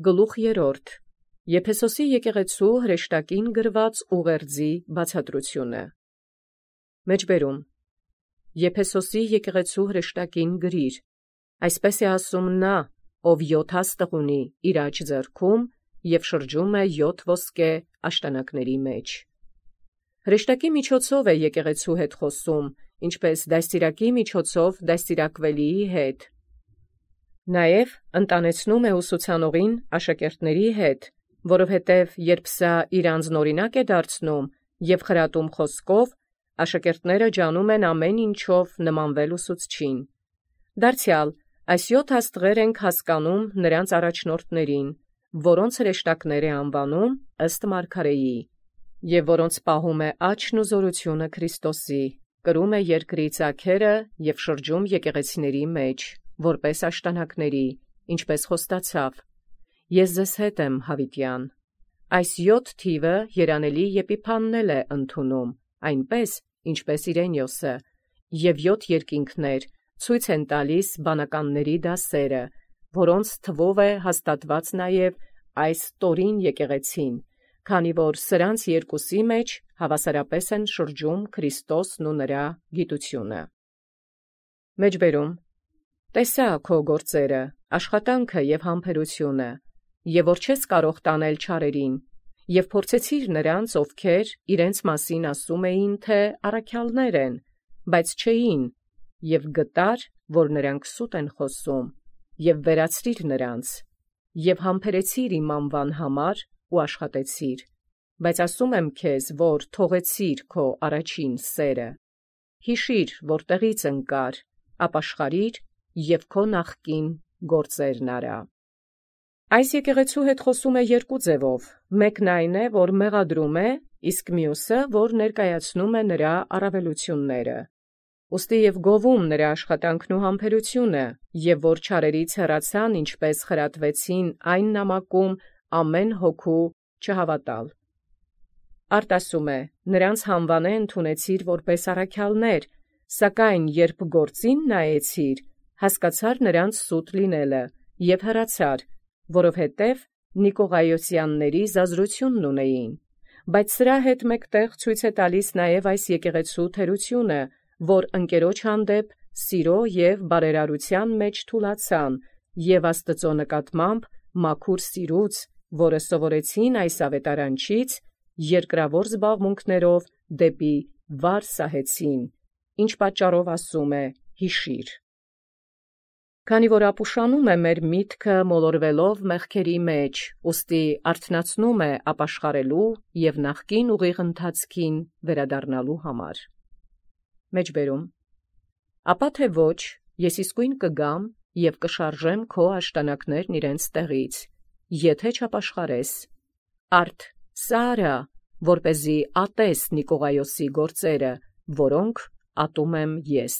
Գլուխ 3. Եփեսոսի եկեղեցու հրեշտակին գրված ուղերձի բացատրությունը։ Մեջբերում. Եփեսոսի եկեղեցու հրեշտակին գրիր, այսպես է ասում նա, ով 7 հաստղ ունի իր աջ ձեռքում և շրջում է 7 ոսկե աշտանակների մեջ։ Հրեշտակի միջոցով է եկեղեցու հետ խոսում, ինչպես դաստիարակի միջոցով դաստիարակվելիի հետ։ Նաև ընտանեցնում է ուսուցանողին աշակերտների հետ, որովհետև երբ սա իր անձնօրինակ է դարձնում և խրատում խոսքով, աշակերտները ջանում են ամեն ինչով նմանվել ուսուցչին։ Դարձյալ, այս 7 աստղեր ենք հասկանում նրանց առաջնորդներին, որոնց հրեշտակներ է անվանում ըստ մարգարեի, և որոնց պահում է աճն ու զորությունը Քրիստոսի, կրում է երկրի ծագերը և շրջում եկեղեցիների մեջ, որպես աշտանակների, ինչպես խոստացավ. Ես ձեզ հետ եմ, հավիտյան։ Այս 7 թիվը երանելի Եփիփանն էլ է ընդունում, այնպես, ինչպես Իրենիոսը, և 7 երկինքներ ցույց են տալիս բանականների դասերը, որոնց թվով է հաստատված նաև այս տորին եկեղեցին, քանի որ սրանց երկուսի մեջ հավասարապես են շրջում Քրիստոսն ու նրա գիտությունը։ Մեջբերում. Տեսա քո գործերը, աշխատանքը և համբերությունը, և որ չես կարող տանել չարերին, և փորձեցիր նրանց, ովքեր իրենց մասին ասում էին, թե առաքյալներ են, բայց չէին, և գտար, որ նրանք սուտ են խոսում, և վերացրիր նրանց, և համբերեցիր իմ անվան համար ու աշխատեցիր, բայց ասում եմ քեզ, որ թողեցիր քո առաջին սերը։ Հիշիր, որտեղից ընկար, ապաշխարիր և քո նախկին գործերն արա։ Այս եկեղեցու հետ խոսում է երկու ձևով, մեկն այն է, որ մեղադրում է, իսկ մյուսը, որ ներկայացնում է նրա առավելությունները։ Ուստի և գովում նրա աշխատանքն ու համբերությունը, և որ չարերից հեռացան, ինչպես խրատվեցին այն նամակում ամեն հոգու չհավատալ։ Արդ ասում է. նրանց հանվանե ընդունեցիր որպես առաքյալներ, սակայն երբ գործին նայեցիր, հասկացար նրանց սուտ լինելը և հեռացար, որովհետև Նիկողայոսյանների զազրությունն ունեին։ Բայց սրա հետ մեկտեղ ցույց է տալիս նաև այս եկեղեցու թերությունը, որ ընկերոջ հանդեպ սիրո և բարերարության մեջ թուլացան և Աստծո նկատմամբ մաքուր սիրուց, որը սովորեցին այս ավետարանչից, երկրավոր զբաղմունքներով դեպի վար սահեցին, ինչ պատճառով ասում է. հիշիր։ Քանի որ ապուշանում է մեր միտքը մոլորվելով մեղքերի մեջ, ուստի արթնացնում է ապաշխարելու և նախկին ուղիղ ընթացքին վերադառնալու համար։ Մեջբերում. Ապա թե ոչ, ես իսկույն կգամ և կշարժեմ քո աշտանակներն իրենց տեղից, եթե չապաշխարես։ Արդ սա արա, որպեսզի ատես Նիկողայոսի գործերը, որոնք ատում եմ ես։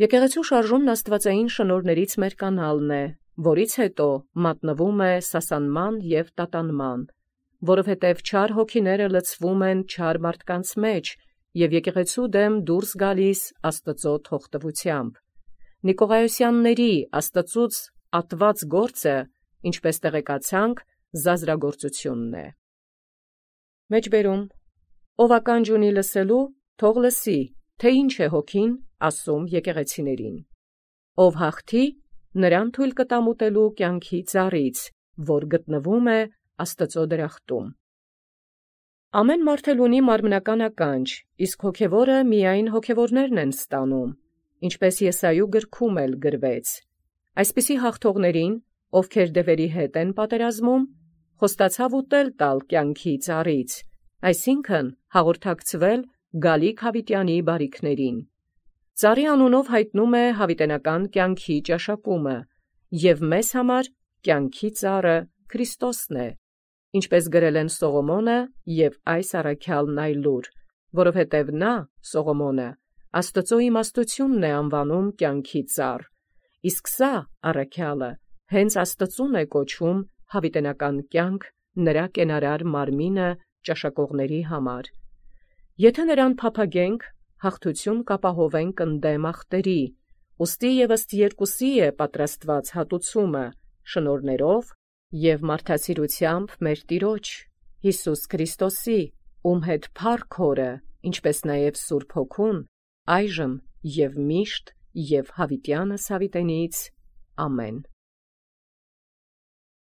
Եկեղեցու շարժումն աստվածային շնորհներից մեր կանալն է, որից հետո մատնվում է սասանման և տատանման, որովհետև չար հոգիները լցվում են չար մարդկանց մեջ և եկեղեցու դեմ դուրս գալիս Աստծո թողտվությամբ։ Նիկողայոսյանների Աստծուց ատված գործը, ինչպես տեղեկացանք, զազրագործությունն է։ Մեջբերում. ով ականջ ունի լսելու, թող լսի, թե ինչ է հոգին ասում եկեղեցիներին։ Ով հաղթի, նրան թույլ կտամ ուտելու կյանքի ծառից, որ գտնվում է Աստծո դրախտում։ Ամեն մարդ էլ ունի մարմնական ականջ, իսկ հոգևորը միայն հոգևորներն են ստանում, ինչպես Եսայու գրքում էլ գրվեց. այսպիսի հաղթողներին, ովքեր դևերի հետ են պատերազմում, խոստացավ ուտել տալ կյանքի ծառից, այսինքն հաղորդակցվել գալիք հավիտյանի բարիքներին։ Ծառի անունով հայտնում է հավիտենական կյանքի ճաշակումը, և մեզ համար կյանքի ծառը Քրիստոսն է, ինչպես գրել են Սողոմոնը և այս առաքյալն այլուր, որովհետև նա, Սողոմոնը, Աստծո իմաստությունն է անվանում կյանքի ծառ, իսկ սա առաքյալը հենց Աստծուն է կոչում հավիտենական կյանք նրա կենարար մարմինը ճաշակողների համար։ Եթե նրան փափագենք, հաղթություն կապահովենք ընդդեմ ախտերի, ուստի և ըստ երկուսի է պատրաստված հատուցումը, շնորհներով Եվ մարդասիրութեամբ մեր Տիրոջ Յիսուս Քրիստոսի, ում հետ փառք Հորը, ինչպես նաև Սուրբ Հոգուն, այժմ և միշտ և հավիտյանս հավիտենից։ Ամեն։